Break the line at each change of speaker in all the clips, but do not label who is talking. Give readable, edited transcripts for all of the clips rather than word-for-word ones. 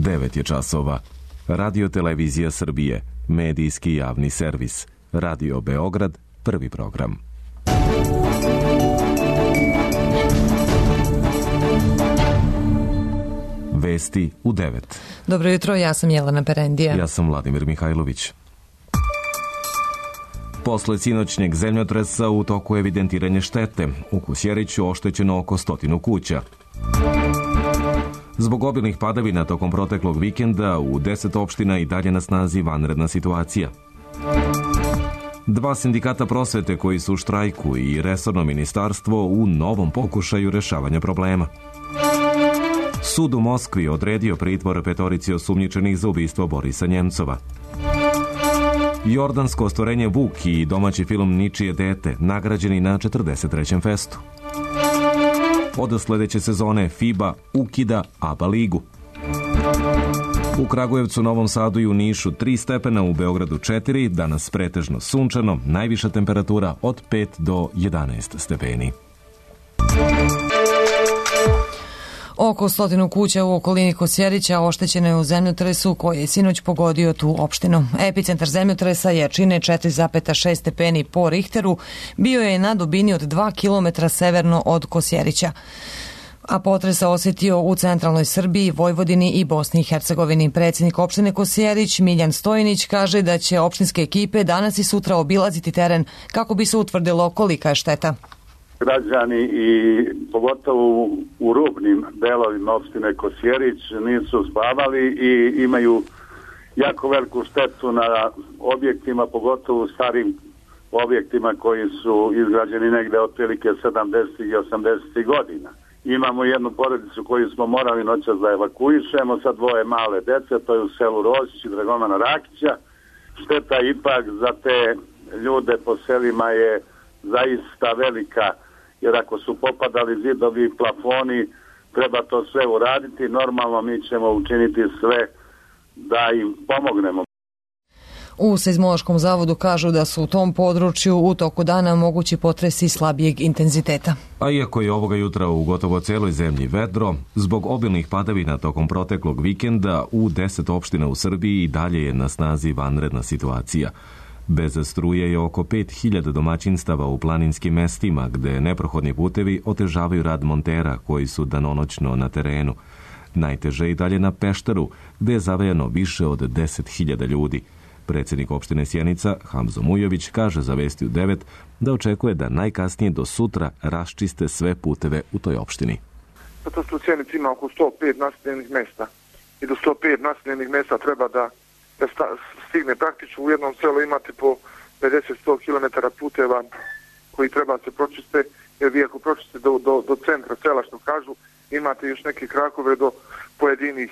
9 je časova. Radio Televizija Srbije, medijski javni servis. Radio Beograd, prvi program. Vesti u 9.
Dobro jutro, ja sam Jelena Perendija.
Ja sam Vladimir Mihajlović. Posle sinoćnjeg zemljotresa u toku evidentiranje štete. U Kosjeriću oštećeno oko 100 kuća. Zbog obilnih padavina tokom proteklog vikenda u 10 opština i dalje na snazi vanredna situacija. 2 sindikata prosvete koji su u štrajku i resorno ministarstvo u novom pokušaju rešavanja problema. Sud u Moskvi odredio pritvor 5 osumnjičenih za ubistvo Borisa Njemcova. Jordansko ostvarenje Vuk i domaći film Ničije dete nagrađeni na 43. festu. Od sledeće sezone FIBA ukida ABA ligu. U Kragujevcu, Novom Sadu i u Nišu 3 stepena, u Beogradu 4, danas pretežno sunčano, najviša temperatura od 5 do 11 stepeni.
Oko 100 kuća u okolini Kosjerića oštećeno je u zemljotresu koji je sinoć pogodio tu opštinu. Epicentar zemljotresa jačine 4,6 stepeni po Richteru bio je na dubini od 2 km severno od Kosjerića, a potres se osjetio u centralnoj Srbiji, Vojvodini i Bosni i Hercegovini. Predsjednik opštine Kosjerić Miljan Stojinić kaže da će opštinske ekipe danas i sutra obilaziti teren kako bi se utvrdilo kolika je šteta.
Građani i pogotovo u rubnim delovima opštine Kosjerić nisu spavali i imaju jako veliku štetu na objektima, pogotovo u starim objektima koji su izgrađeni negde otprilike 70. i 80. godina. Imamo jednu porodicu koju smo morali noćas da evakuišemo sa 2 male dece, to je u selu Rožić i Dragomana Rakića. Šteta ipak za te ljude po selima je zaista velika, jer ako su popadali zidovi i plafoni, treba to sve uraditi. Normalno mi ćemo učiniti sve da im pomognemo.
U Seizmološkom zavodu kažu da su u tom području u toku dana mogući potresi slabijeg intenziteta.
A iako je ovoga jutra u gotovo celoj zemlji vedro, zbog obilnih padavina tokom proteklog vikenda u 10 opština u Srbiji i dalje je na snazi vanredna situacija. Bez struje je oko 5000 domaćinstava u planinskim mestima, gde neprohodni putevi otežavaju rad montera koji su danonoćno na terenu. Najteže i dalje na Pešteru, gde je zavejano više od 10.000 ljudi. Predsjednik opštine Sjenica, Hamzo Mujović, kaže za Vesti u 9 da očekuje da najkasnije do sutra raščiste sve puteve u toj opštini.
Zato što u Sjenici ima oko 105 naseljenih mesta i do 105 naseljenih mesta treba da stigne praktično. U jednom selu imate po 50-100 km puteva koji treba se pročiste, jer vi ako pročiste do centra sela, što kažu, imate još neke krakove do pojedinih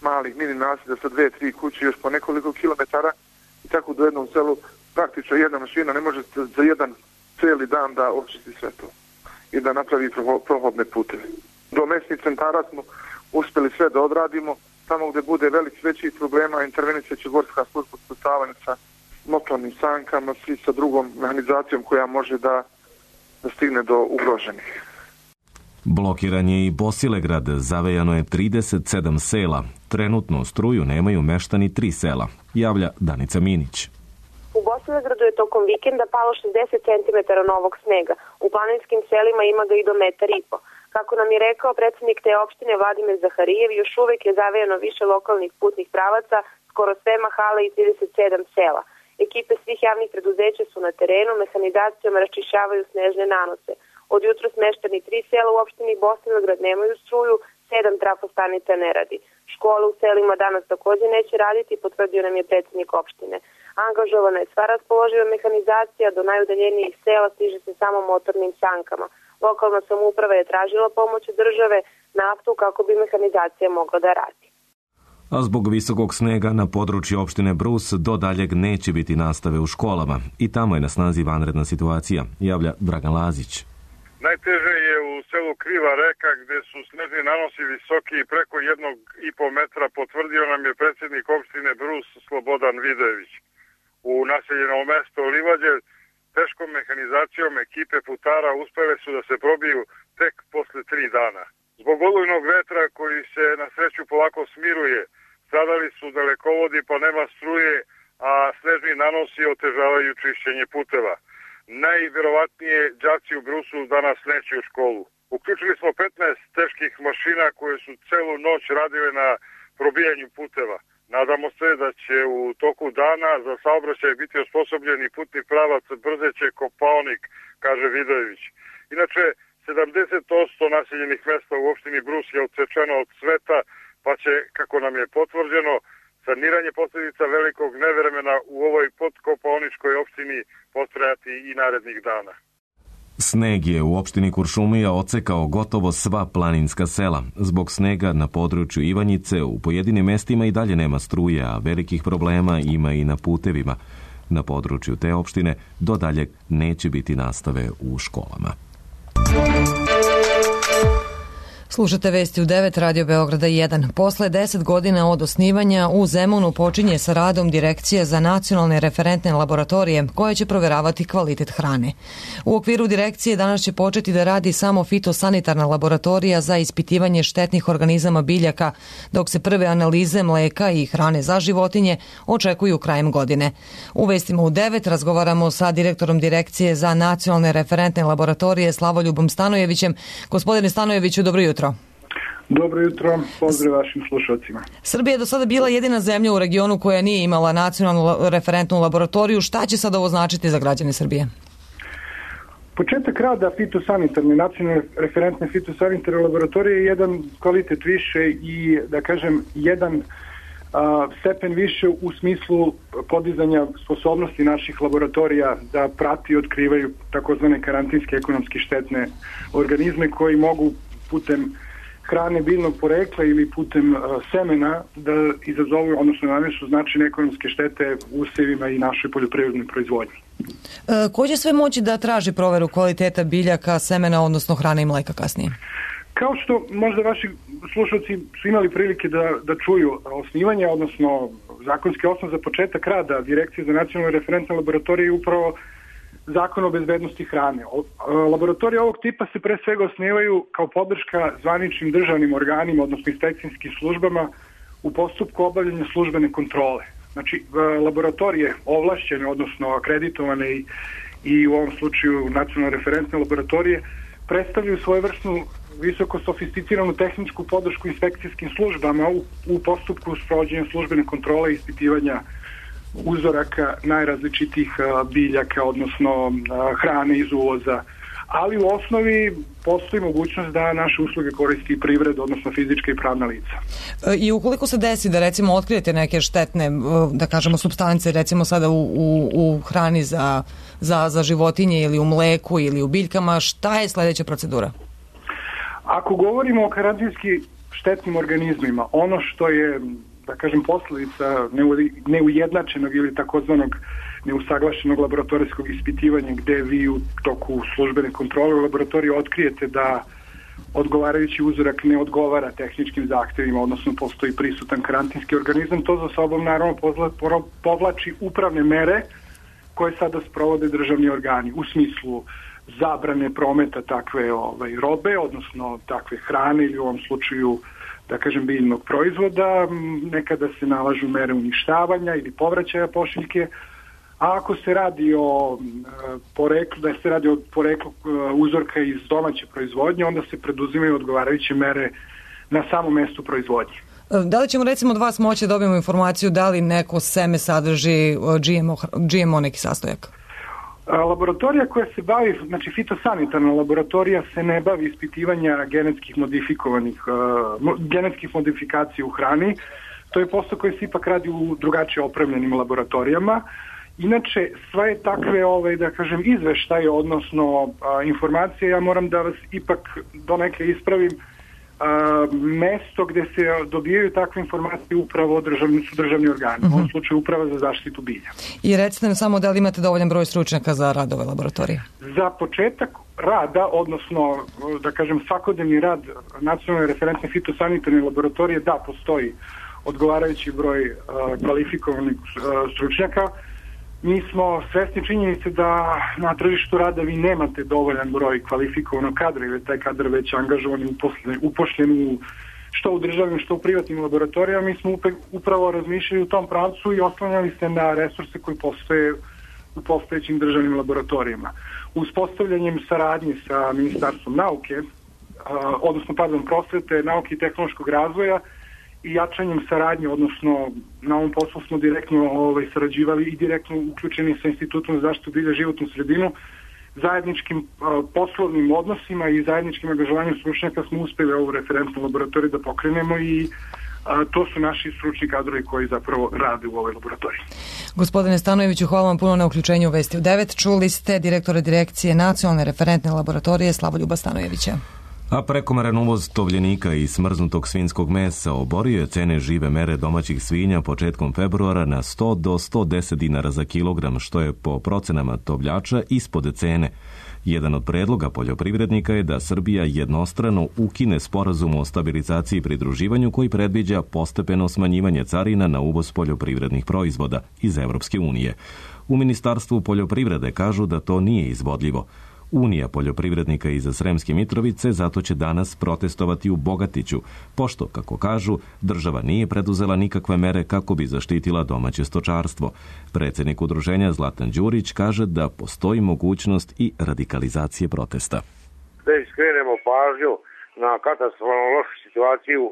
malih mini naselja sa 2-3 kuće još po nekoliko kilometara, i tako do jednom selu praktično jedna mašina ne može za jedan cijeli dan da očisti sve to i da napravi prohodne puteve. Do mesnih centara smo uspjeli sve da odradimo. Tamo gdje bude većih problema intervenit će Gorska služba spasavanja sa motornim sankama i sa drugom mehanizacijom koja može da stigne do ugroženih.
Blokiran je i Bosilegrad, zavejano je 37 sela. Trenutno struju nemaju meštani 3 sela, javlja Danica Minić.
U Bosilegradu je tokom vikenda palo 60 cm novog snega. U planinskim selima ima ga i do 1,5 metra. Kako nam je rekao predsjednik te opštine Vladimir Zaharijev, još uvek je zavejano više lokalnih putnih pravaca, skoro sve mahale i 37 sela. Ekipe svih javnih preduzeća su na terenu, mehanizacijom raščišćavaju snežne nanose. Od jutra smešteni 3 sela u opštini Bosilegrad nemaju struju, 7 trafostanica ne radi. Škole u selima danas također neće raditi, potvrdio nam je predsjednik opštine. Angažovana je sva raspoloživa mehanizacija, do najudaljenijih sela stiže se samo motornim sankama. Lokalna samouprava je tražila pomoć od države, naftu, kako bi mehanizacija mogla da radi.
A zbog visokog snega na području opštine Brus do daljeg neće biti nastave u školama. I tamo je na snazi vanredna situacija, javlja Dragan Lazić.
Najteže je u selu Kriva reka, gde su snežni nanosi visoki i preko 1,5 metra, potvrdio nam je predsjednik opštine Brus Slobodan Vidojević. U naseljenom mesto Livađe teškom mehanizacijom ekipe putara uspele su da se probiju tek posle 3 dana. Zbog olujnog vetra koji se na sreću polako smiruje, stradali su dalekovodi pa nema struje, a snežni nanosi otežavaju čišćenje puteva. Najvjerovatnije đaci u Brusu danas neće u školu. Uključili smo 15 teških mašina koje su celu noć radile na probijanju puteva. Nadamo se da će u toku dana za saobraćaj biti osposobljeni putni pravac Brzeće Kopaonik, kaže Vidojević. Inače, 70% naseljenih mesta u opštini Brus je odsečeno od sveta, pa će, kako nam je potvrđeno, saniranje posljedica velikog nevremena u ovoj podkopaoničkoj opštini potrajati i narednih dana.
Sneg je u opštini Kuršumlija odsekao gotovo sva planinska sela. Zbog snega na području Ivanjice u pojedinim mestima i dalje nema struje, a velikih problema ima i na putevima. Na području te opštine do daljeg neće biti nastave u školama.
Slušate vesti u 9, Radio Beograda 1. Posle 10 godina od osnivanja u Zemunu počinje sa radom Direkcija za nacionalne referentne laboratorije koje će proveravati kvalitet hrane. U okviru direkcije danas će početi da radi samo fitosanitarna laboratorija za ispitivanje štetnih organizama biljaka, dok se prve analize mleka i hrane za životinje očekuju krajem godine. U vestima u 9 razgovaramo sa direktorom Direkcije za nacionalne referentne laboratorije Slavoljubom Stanojevićem. Gospodine Stanojeviću, dobro jutro.
Dobro jutro, pozdrav vašim slušalcima.
Srbija je do sada bila jedina zemlja u regionu koja nije imala nacionalnu referentnu laboratoriju. Šta će sad ovo značiti za građane Srbije?
Početak rada fitosanitarne, nacionalne referentne fitosanitarne laboratorije je jedan kvalitet više i, da kažem, jedan stepen više u smislu podizanja sposobnosti naših laboratorija da prati i otkrivaju takozvane karantinske ekonomski štetne organizme koji mogu putem hrane biljnog porekla ili putem semena da izazovu, odnosno nanesu značajne ekonomske štete usevima i našoj poljoprivrednoj proizvodnji.
Ko će sve moći da traži proveru kvaliteta biljaka, semena, odnosno hrane i mleka kasnije?
Kao što možda vaši slušalci su imali prilike da čuju, osnivanje, odnosno zakonski osnov za početak rada Direkcije za nacionalne referentne laboratorije je upravo Zakon o bezbednosti hrane. Laboratorije ovog tipa se pre svega osnivaju kao podrška zvaničnim državnim organima, odnosno inspekcijskim službama u postupku obavljanja službene kontrole. Znači, laboratorije ovlašćene, odnosno akreditovane i u ovom slučaju nacionalne referentne laboratorije predstavljaju svojevrsnu visoko sofisticiranu tehničku podršku inspekcijskim službama u postupku sprovođenja službene kontrole i ispitivanja uzoraka najrazličitijih biljaka, odnosno hrane iz uvoza. Ali u osnovi postoji mogućnost da naše usluge koristi privreda, odnosno fizička i pravna lica.
I ukoliko se desi da recimo otkrijete neke štetne, da kažemo, supstance, recimo sada u hrani za životinje ili u mleku ili u biljkama, šta je sledeća procedura?
Ako govorimo o karantinski štetnim organizmima, ono što je, da kažem, posljedica neujednačenog ili takozvanog neusaglašenog laboratorijskog ispitivanja gde vi u toku službene kontrole u laboratoriji otkrijete da odgovarajući uzorak ne odgovara tehničkim zahtevima, odnosno postoji prisutan karantinski organizam, to za sobom naravno povlači upravne mere koje sada sprovode državni organi u smislu zabrane prometa takve robe, odnosno takve hrane ili u ovom slučaju, da kažem, biljnog proizvoda. Nekada se nalažu mere uništavanja ili povraćaja pošiljke, a ako se radi o poreklu, da se radi o poreklu uzorka iz domaće proizvodnje, onda se preduzimaju odgovarajuće mere na samom mestu proizvodnje.
Da li ćemo recimo od vas moći da dobijemo informaciju da li neko seme sadrži GMO neki sastojak?
Laboratorija koja se bavi, znači fitosanitarna laboratorija se ne bavi ispitivanja genetskih modifikacija u hrani. To je posao koji se ipak radi u drugačije opremljenim laboratorijama. Inače, sve takve, da kažem, izveštaje, odnosno informacije, ja moram da vas ipak donekle ispravim, mesto gde se dobijaju takve informacije upravo su državni organi, u ovom slučaju Uprava za zaštitu bilja.
I recite nam samo da li imate dovoljan broj stručnjaka za rad ove laboratorije?
Za početak rada, odnosno, da kažem, svakodnevni rad nacionalne referentne fitosanitarne laboratorije, da, postoji odgovarajući broj kvalifikovanih stručnjaka. Mi smo svesni činjenice da na tržištu rada vi nemate dovoljan broj kvalifikovanog kadra ili taj kadar već angažovan i upošljen što u državnim, što u privatnim laboratorijama. Mi smo upravo razmišljali u tom pravcu i oslanjali se na resurse koji postoje u postojećim državnim laboratorijama. Uspostavljanjem saradnje sa Ministarstvom nauke, prosvete, nauke i tehnološkog razvoja i jačanjem saradnje, odnosno na ovom poslu smo direktno sarađivali i direktno uključeni sa Institutom za zaštitu bilja i životnu sredinu, zajedničkim poslovnim odnosima i zajedničkim angažovanjem stručnjaka smo uspeli ovu referentnu laboratoriju da pokrenemo i to su naši stručni kadrovi koji zapravo rade u ovoj laboratoriji.
Gospodine Stanojeviću, hvala vam puno na uključenju u Vesti u 9. Čuli ste direktora direkcije Nacionalne referentne laboratorije Slavoljuba Stanojevića.
A prekomeran uvoz tovljenika i smrznutog svinjskog mesa oborio je cene žive mere domaćih svinja početkom februara na 100 do 110 dinara za kilogram, što je po procenama tovljača ispod cene. Jedan od predloga poljoprivrednika je da Srbija jednostrano ukine sporazum o stabilizaciji i pridruživanju koji predviđa postepeno smanjivanje carina na uvoz poljoprivrednih proizvoda iz Evropske unije. U Ministarstvu poljoprivrede kažu da to nije izvodljivo. Unija poljoprivrednika iz Sremske Mitrovice zato će danas protestovati u Bogatiću, pošto, kako kažu, država nije preduzela nikakve mere kako bi zaštitila domaće stočarstvo. Predsjednik udruženja Zlatan Đurić kaže da postoji mogućnost i radikalizacije protesta.
Da skrenemo pažnju na katastrofalno lošu situaciju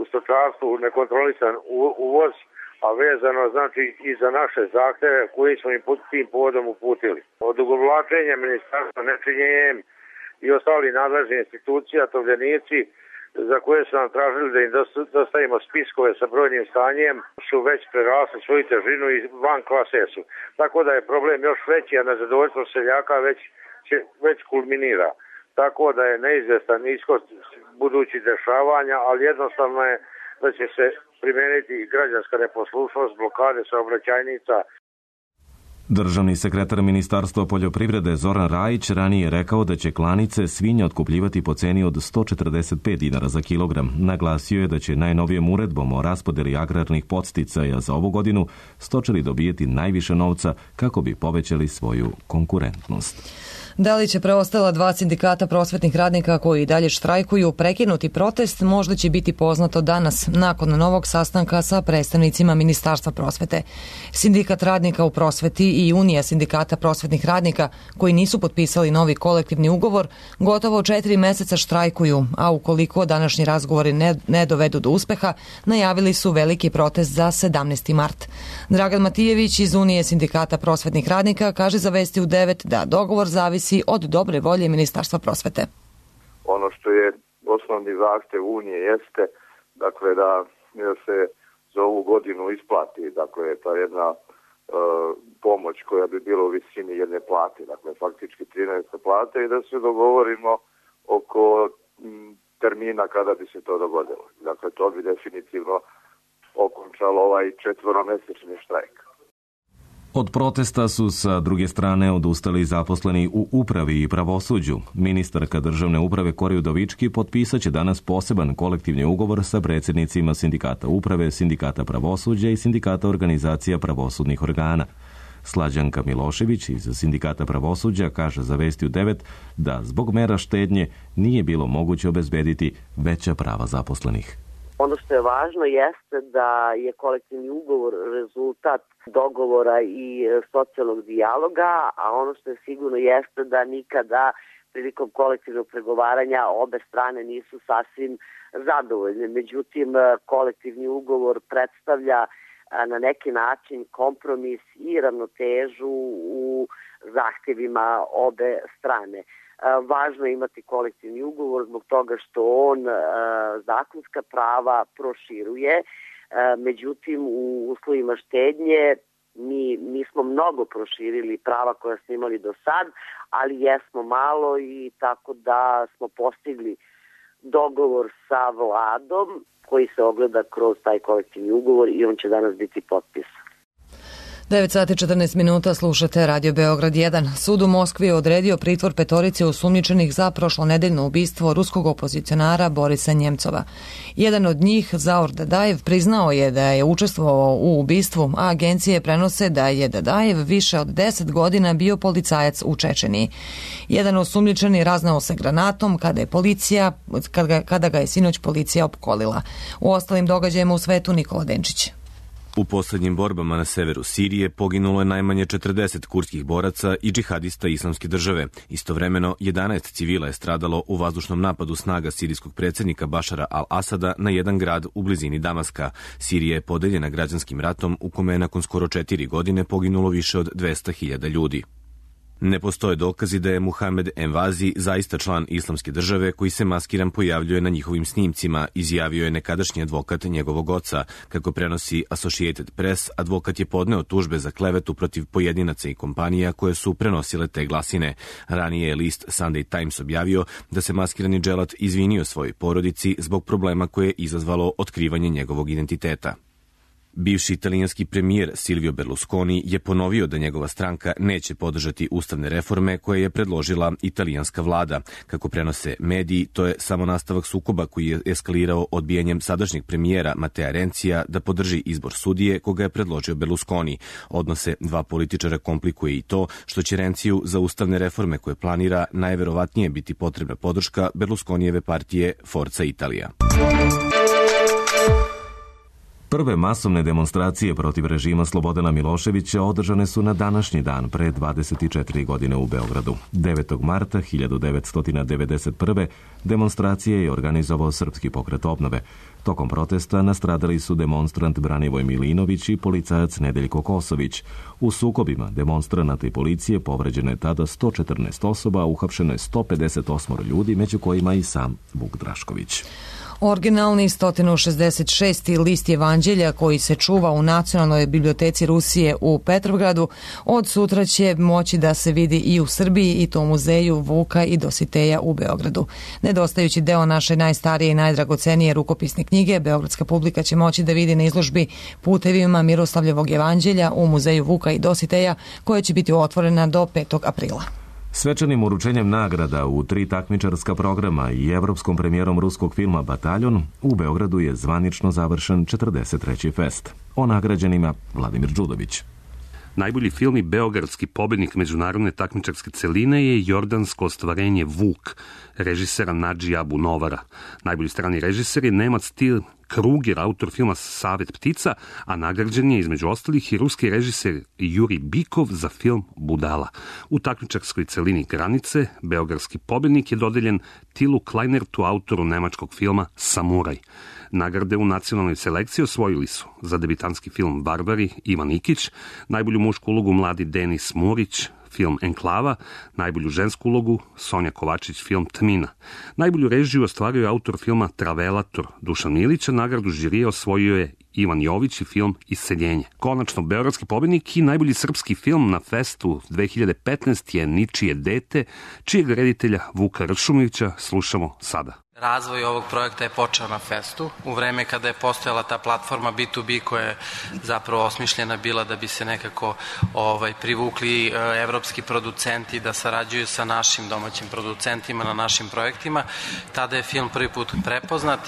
u stočarstvu, nekontrolisan uvoz, a vezano znači i za naše zahteve koji smo im tim povodom uputili. Odugovlačenje ministarstva, nečinjenjem i ostali nadležni institucija, tovljenici za koje su nam tražili da im dostavimo spiskove sa brojnim stanjem su već prerasli svoju težinu i van klase su. Tako da je problem još veći, a nezadovoljstvo seljaka već kulminira. Tako da je neizvestan ishod budućih dešavanja, ali jednostavno je da će se primijeniti građanska neposlušnost, blokade saobraćajnica.
Državni sekretar Ministarstva poljoprivrede Zoran Rajić ranije je rekao da će klanice svinja otkupljivati po ceni od 145 dinara za kilogram. Naglasio je da će najnovijom uredbom o raspodeli agrarnih podsticaja za ovu godinu stočari dobijeti najviše novca kako bi povećali svoju konkurentnost.
Da li će preostala 2 sindikata prosvetnih radnika koji i dalje štrajkuju prekinuti protest, možda će biti poznato danas, nakon novog sastanka sa predstavnicima Ministarstva prosvete. Sindikat radnika u prosveti i Unija sindikata prosvetnih radnika koji nisu potpisali novi kolektivni ugovor gotovo 4 meseca štrajkuju, a ukoliko današnji razgovori ne dovedu do uspeha, najavili su veliki protest za 17. mart. Dragan Matijević iz Unije sindikata prosvetnih radnika kaže za Vesti u 9 da dogovor zavisi od dobre volje Ministarstva prosvete.
Ono što je osnovni zahtev Unije jeste dakle da se za ovu godinu isplati dakle ta jedna pomoć koja bi bila u visini jedne plate, dakle faktički 13 plate i da se dogovorimo oko termina kada bi se to dogodilo. Dakle to bi definitivno okončalo ovaj 4-mesečni štrajk.
Od protesta su sa druge strane odustali zaposleni u upravi i pravosuđu. Ministarka državne uprave Kori Udovički potpisat će danas poseban kolektivni ugovor sa predsjednicima sindikata uprave, sindikata pravosuđa i sindikata organizacija pravosudnih organa. Slađanka Milošević iz sindikata pravosuđa kaže za Vesti u 9 da zbog mera štednje nije bilo moguće obezbediti veća prava zaposlenih.
Ono što je važno jeste da je kolektivni ugovor rezultat dogovora i socijalnog dijaloga, a ono što je sigurno jeste da nikada prilikom kolektivnog pregovaranja obe strane nisu sasvim zadovoljne. Međutim, kolektivni ugovor predstavlja na neki način kompromis i ravnotežu u zahtjevima obe strane. Važno je imati kolektivni ugovor zbog toga što on zakonska prava proširuje, međutim u uslovima štednje mi smo mnogo proširili prava koja smo imali do sad, ali jesmo malo i tako da smo postigli dogovor sa vladom koji se ogleda kroz taj kolektivni ugovor i on će danas biti potpisan.
9 sati 14 minuta, slušate Radio Beograd 1. Sud u Moskvi je odredio pritvor petorice osumnjičenih za prošlonedeljno ubistvo ruskog opozicionara Borisa Njemcova. Jedan od njih, Zaur Dadajev, priznao je da je učestvovao u ubistvu, a agencije prenose da je Dadajev više od 10 godina bio policajac u Čečeniji. Jedan osumnjičeni raznao se granatom kada ga je sinoć policija opkolila. U ostalim događajima u svetu Nikola Denčić.
U poslednjim borbama na severu Sirije poginulo je najmanje 40 kurdskih boraca i džihadista Islamske države. Istovremeno, 11 civila je stradalo u vazdušnom napadu snaga sirijskog predsjednika Bašara al-Asada na jedan grad u blizini Damaska. Sirija je podeljena građanskim ratom u kome je nakon skoro 4 godine poginulo više od 200.000 ljudi. Ne postoje dokazi da je Muhamed Envazi zaista član Islamske države koji se maskiran pojavljuje na njihovim snimcima, izjavio je nekadašnji advokat njegovog oca. Kako prenosi Associated Press, advokat je podneo tužbe za klevetu protiv pojedinaca i kompanija koje su prenosile te glasine. Ranije je list Sunday Times objavio da se maskirani dželat izvinio svojoj porodici zbog problema koje je izazvalo otkrivanje njegovog identiteta. Bivši italijanski premijer Silvio Berlusconi je ponovio da njegova stranka neće podržati ustavne reforme koje je predložila italijanska vlada. Kako prenose mediji, to je samo nastavak sukoba koji je eskalirao odbijanjem sadašnjeg premijera Matea Rencija da podrži izbor sudije koga je predložio Berlusconi. Odnose dva političara komplikuje i to što će Renciju za ustavne reforme koje planira najverovatnije biti potrebna podrška Berlusconijeve partije Forza Italia. Prve masovne demonstracije protiv režima Slobodana Miloševića održane su na današnji dan pre 24 godine u Beogradu. 9. marta 1991. demonstracije je organizovao Srpski pokret obnove. Tokom protesta nastradali su demonstrant Branivoj Milinović i policajac Nedeljko Kosović. U sukobima demonstranata i policije povređeno je tada 114 osoba, a uhapšeno je 158 ljudi, među kojima i sam Vuk Drašković.
Originalni 166. list Evanđelja koji se čuva u Nacionalnoj biblioteci Rusije u Petrovgradu od sutra će moći da se vidi i u Srbiji i to u muzeju Vuka i Dositeja u Beogradu. Nedostajući deo naše najstarije i najdragocenije rukopisne knjige, beogradska publika će moći da vidi na izložbi Putevima Miroslavljevog Evanđelja u muzeju Vuka i Dositeja koja će biti otvorena do 5. aprila.
Svečanim uručenjem nagrada u 3 takmičarska programa i evropskom premijerom ruskog filma Bataljon u Beogradu je zvanično završen 43. fest. O nagrađenima Vladimir Đudović.
Najbolji film i beogradski pobednik međunarodne takmičarske celine je jordansko ostvarenje Vuk, režisera Nadži Abu Novara. Najbolji strani režiser je Nemac Til Kruger, autor filma Savet ptica, a nagrađen je između ostalih i ruski režiser Juri Bikov za film Budala. U takmičarskoj celini Granice, beogradski pobednik je dodeljen Tilu Kleinertu, autoru nemačkog filma Samuraj. Nagrade u nacionalnoj selekciji osvojili su za debitanski film Barbari Ivan Ikić, najbolju mušku ulogu mladi Denis Murić, film Enklava, najbolju žensku ulogu Sonja Kovačić, film Tmina. Najbolju režiju ostvario je autor filma Travelator Dušan Milić, a nagradu žirije osvojio je Ivan Jović i film Iseljenje. Konačno, beogradski pobednik i najbolji srpski film na festu 2015 je Ničije dete, čijeg reditelja Vuka Ršumovića slušamo sada.
Razvoj ovog projekta je počeo na festu, u vreme kada je postojala ta platforma B2B koja je zapravo osmišljena bila da bi se nekako privukli evropski producenti da sarađuju sa našim domaćim producentima na našim projektima. Tada je film prvi put prepoznat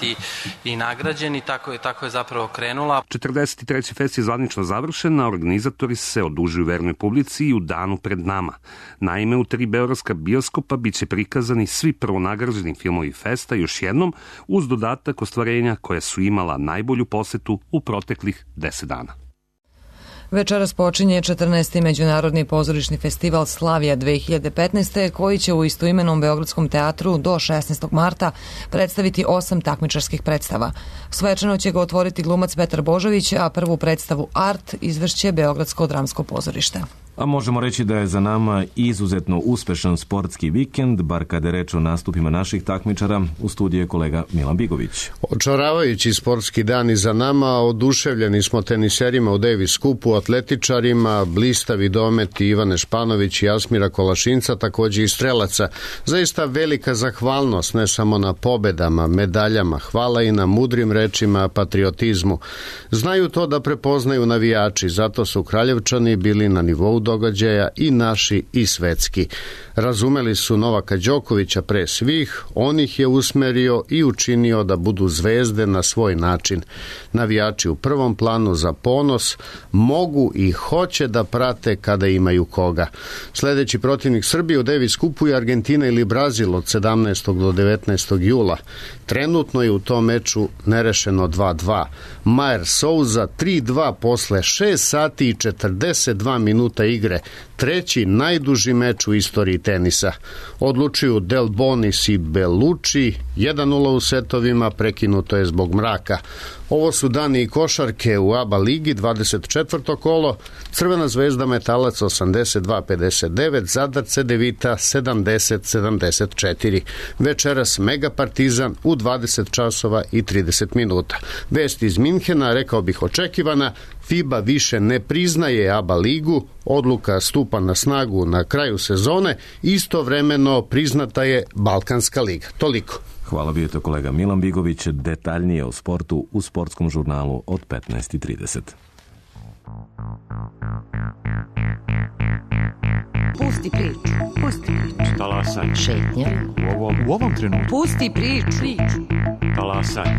i nagrađen i tako je zapravo krenula.
43. fest je zvanično završen, a organizatori se odužuju vernoj publici i u danu pred nama. Naime, u 3 beogradska bioskopa biće prikazani svi prvonagrađeni filmovi festa još jednom, uz dodatak ostvarenja koja su imala najbolju posetu u proteklih 10 dana.
Večeras počinje 14. Međunarodni pozorišni festival Slavija 2015. koji će u istoimenom Beogradskom teatru do 16. marta predstaviti 8 takmičarskih predstava. Svečano će ga otvoriti glumac Petar Božović, a prvu predstavu Art izvešće Beogradsko dramsko pozorište.
A možemo reći da je za nama izuzetno uspešan sportski vikend, bar kada je reč o nastupima naših takmičara. U studiju je kolega Milan Bigović.
Očaravajući sportski dan iza nama, oduševljeni smo teniserima u Davis Cupu, atletičarima, blistavi dometi Ivane Španović i Jasmira Kolašinca, također i strelaca. Zaista velika zahvalnost ne samo na pobedama, medaljama, hvala i na mudrim rečima, patriotizmu. Znaju to da prepoznaju navijači, zato su Kraljevčani bili na nivou događaja i naši i svetski. Razumeli su Novaka Đokovića pre svih, on ih je usmerio i učinio da budu zvezde na svoj način. Navijači u prvom planu za ponos mogu i hoće da prate kada imaju koga. Sljedeći protivnik Srbije u Davis Cupu je Argentina ili Brazil od 17. do 19. jula. Trenutno je u tom meču nerešeno 2-2. Majer Souza 3-2 posle 6 sati i 42 minuta igre. Treći najduži meč u istoriji tenisa. Odlučuju Del Bonis i Bellucci, 1-0 u setovima, prekinuto je zbog mraka. Ovo su dani i košarke u ABA ligi, 24. kolo, Crvena zvezda Metalac 82-59, Zadar Cedevita 70-74. Večeras Mega Partizan u 20 časova i 30 minuta. Vest iz Minhena, rekao bih očekivana, FIBA više ne priznaje ABA ligu, odluka stupa na snagu na kraju sezone, istovremeno priznata je Balkanska liga. Toliko.
Hvala, bio je to kolega Milan Bigović, detaljnije o sportu u sportskom žurnalu od 15:30.
Pusti priču. Pusti priču.
Talasaj.
Šetnja.
U ovom trenutku.
Pusti priču.
Talasaj.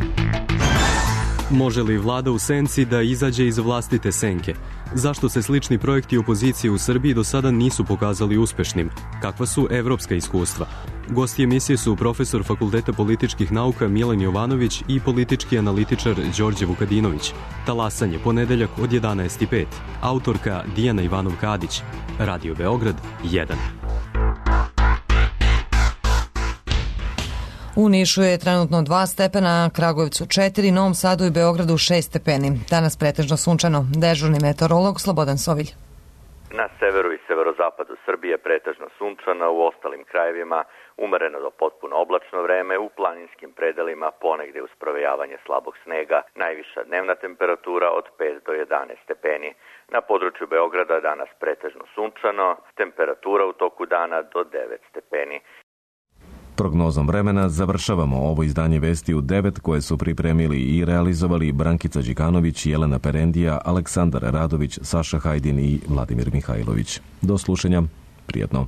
Može li vlada u senci da izađe iz vlastite senke? Zašto se slični projekti opozicije u Srbiji do sada nisu pokazali uspešnim? Kakva su evropska iskustva? Gosti emisije su profesor Fakulteta političkih nauka Milan Jovanović i politički analitičar Đorđe Vukadinović. Talasanje, ponedeljak od 11:05. Autorka Dijana Ivanov-Kadić. Radio Beograd 1.
U Nišu je trenutno 2 stepena, Kragujevcu 4, Novom Sadu i Beogradu 6 stepeni. Danas pretežno sunčano. Dežurni meteorolog Slobodan Sovilj.
Na severu i severozapadu Srbije pretežno sunčano, u ostalim krajevima umereno do potpuno oblačno vreme, u planinskim predelima ponegde uz provejavanje slabog snega, najviša dnevna temperatura od 5 do 11 stepeni. Na području Beograda danas pretežno sunčano, temperatura u toku dana do 9 stepeni.
Prognozom vremena završavamo ovo izdanje Vesti u 9 koje su pripremili i realizovali Brankica Đikanović, Jelena Perendija, Aleksandar Radović, Saša Hajdin i Vladimir Mihajlović. Do slušanja, prijatno.